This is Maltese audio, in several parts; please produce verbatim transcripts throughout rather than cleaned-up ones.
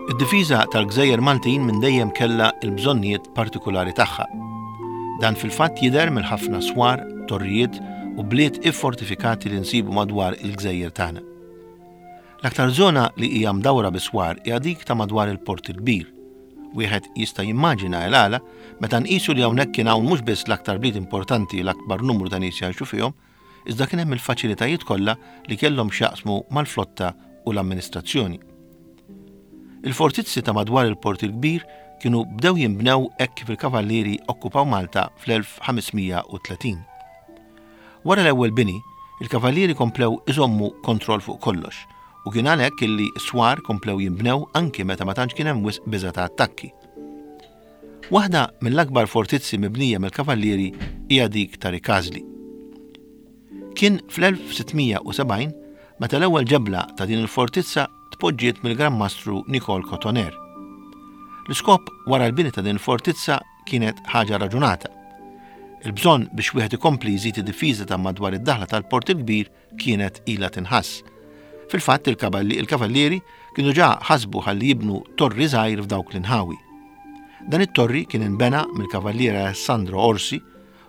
Id-difiża tal-Gżejjer Maltin minn dejjem kellha l-bżonnijiet partikulari tagħha. Dan fil-fatt jidher mill-ħafna swar, torrijiet u bliet iffortifikati li nsibu madwar il-gżejjer tagħna. L-aktar żona li hija mdawra bi swar hija dik ta' madwar il-Port il-Kbir. Wieħed jista' jimmaġina l-għala meta nqisu li hawnhekk kien hawn mhux biss l-aktar bliet importanti, l-akbar numru ta' nies jgħixu fihom, iżda kien hemm il-faċilitajiet kollha li kellhom x'jaqsmu mal-flotta u l-amministrazzjoni. Il-fortizzi ta' madwar il-Port il-Kbir kienu bdew jinbnew hekk kif il-Kavallieri okkupaw Malta fl-elf ħames mija u tletin. Wara l-ewwel bini, il-Kavallieri komplew iżommu kontroll fuq kollox u kien għalhekk illi s-swar komplew jinbnew anki meta ma tantx kien hemm wisq biża' ta' attakki. Waħda mill-akbar fortizzi mibnija mill-Kavallieri hija dik ta' Rikażli. Kien fl-elf sitt mija u sebgħin meta l-ewwel ġebla ta' din il-fortizza tpoġġiet mill-Gran Mastru Nicole Cotoner. L-iskop wara l-bini ta' din il-fortizza kienet ħaġa raġunata. Il-bżonn biex wieħed ikompli jżid id-difiża ta' madwar id-daħla tal-Port il-Kbir kienet ilha tinħass. Fil-fatt il-kavalli, il-kavallieri kienu ġa ħasbu ħalli jibnu torri żgħir f'dawk l-inħawi. Dan it-torri kien inbena mill-Kavalliera Alessandro Orsi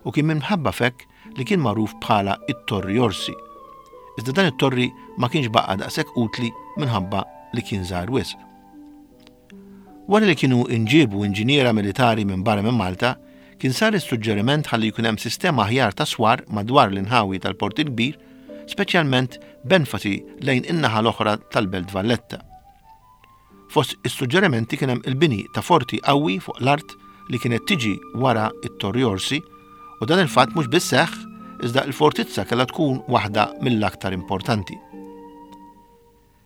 u kien minħabba fekk li kien magħruf bħala it-Torri Orsi. Iżda dan it-torri ma kienx baqa' daqshekk utli minħabba li kien żgħar wisq. Wara li kienu inġiebu inġiniera militari minn barra minn Malta, kien sar is-suġġeriment ħalli jkun hemm sistema aħjar ta' swar madwar l-inħawi tal-Port il-Kbir, speċjalment b'enfasi lejn in-naħa l-oħra tal-Belt Valletta. Fost is-suġġerimenti kien hemm il-bini ta' forti qawwi fuq l-art li kienet tiġi wara it-Torri Orsi, u dan il-fatt mhux biss seħħ, iżda l-fortizza kellha tkun waħda mill-aktar importanti.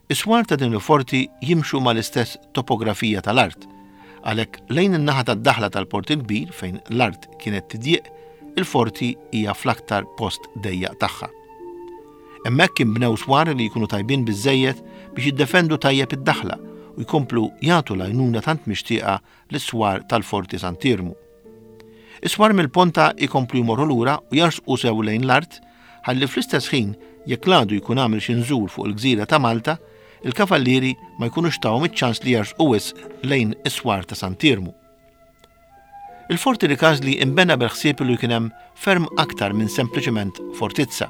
Is-swar ta' din il-forti jimxu mal-istess topografija tal-art, għalhekk lejn in-naħa tad-daħla tal-Port il-Kbir fejn l-art kienet tidjieq, il-forti hija fl-aktar post dejjaq tagħha. Hemmhekk inbnew swar li jkunu tajbin biżżejjed biex jiddefendu tajjeb id-daħla u jkomplu jagħtu l-għajnuna tant mixtieqa lis-swar tal-Forti Sant'Iermu. Is-swar mill-ponta jkomplu jmorru lura u jarsqu sew lejn l-art ħalli fl-istess ħin jekk l-għadu jkun għamel xi nżul fuq il-gżira ta' Malta, il-kavallieri ma jkunux tawhom iċ-ċans li jarsqu wisq lejn is-swar ta' Sant'Iermu. Il-Forti Rikażli imbena bil-ħsieb li kien hemm ferm aktar minn sempliċement fortizza.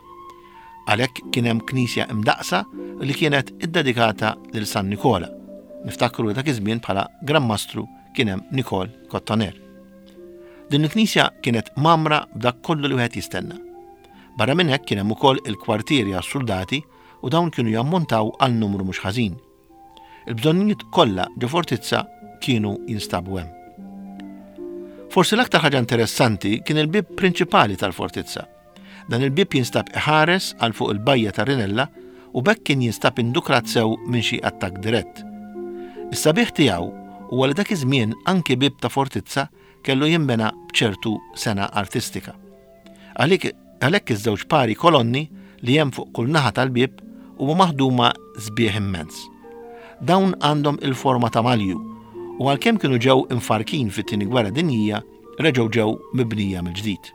Għalhekk kien hemm knisja imdaqsa li kienet iddedikata lil San Nikola. Niftakru li dak iż-żmien bħala Gran Mastru kien hemm Nicole Cotoner. Din il-knisja kienet mamra b'dak kollu li wieħed jistenna. Barra minn hekk kien hemm ukoll il-kwartieri għas-soldati u dawn kienu jammontaw għal numru mhux ħażin. Il-bżonnijiet kollha ġo fortizza kienu jinstabu hemm. Forsi l-aktar ħaġa interessanti kien il-bib prinċipali tal-fortizza. Dan il-bib jinstab iħares għal fuq il-bajja ta' Rinella u b'hekk kien jinstab indukrat sew minn xi attakk dirett. Is-sabiħ tiegħu huwa li dak iż-żmien anki bib ta' fortizza kellu jinbena b'ċertu sena artistika. Għalhekk, għalhekk iż-żewġ pari kolonni li hemm fuq kull naħa tal-bib huma maħduma sbieħ immens. Dawn għandhom il-forma ta' malju u għalkemm kienu ġew infarkin fit-tieni gwerra dinjija, reġgħu ġew mibnija mill-ġdid.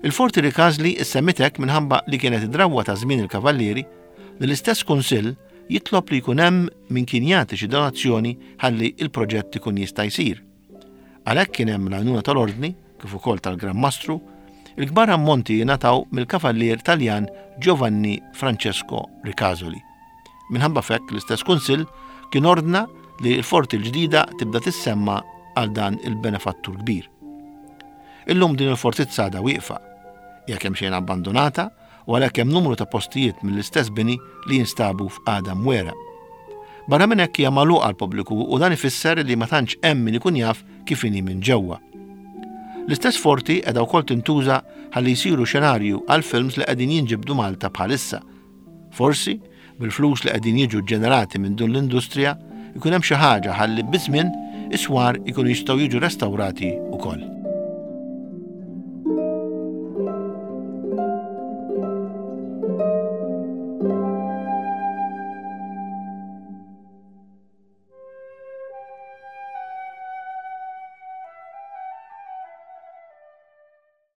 Il-Forti Rikażli issemmitek minħabba li kienet id-drawwa ta' żmien il-Kavallieri li l-istess kunsill jitlob li jkun hemm min kien jagħti xi donazzjoni ħalli il-proġett ikun jista' jsir. Għalhekk kien hemm l-għajnuna tal-Ordni kif ukoll tal-Gran Mastru, il-kbar ammonti jingħataw mill-Kavallier Taljan Giovanni Francesco Ricasoli. Minħabba fekk l-istess kunsill kien ordna li l-forti l-ġdida tibda tissemma għal dan il-benefattur kbir. Illum din il-fortizza għadha wieqfa, hija kemm xejn abbandonata u għalhekk hemm numru ta' postijiet mill-istess bini li jinstabu f'qagħda mwera. Barra minn hekk hija magħluqa għall-pubbliku u dan ifisser li ma tantx hemm min ikun jaf kif inhi minn ġewwa. L-istess forti qiegħda wkoll tintuża ħalli jsiru xenarju għal films li qegħdin jinġibdu Malta bħalissa. Forsi, bil-flus li qegħdin jiġu ġenerati minn dun l-industrija, ikun hemm xi ħaġa ħalli biż-żmien is-swar ikunu jistgħu jiġu restawrati wkoll.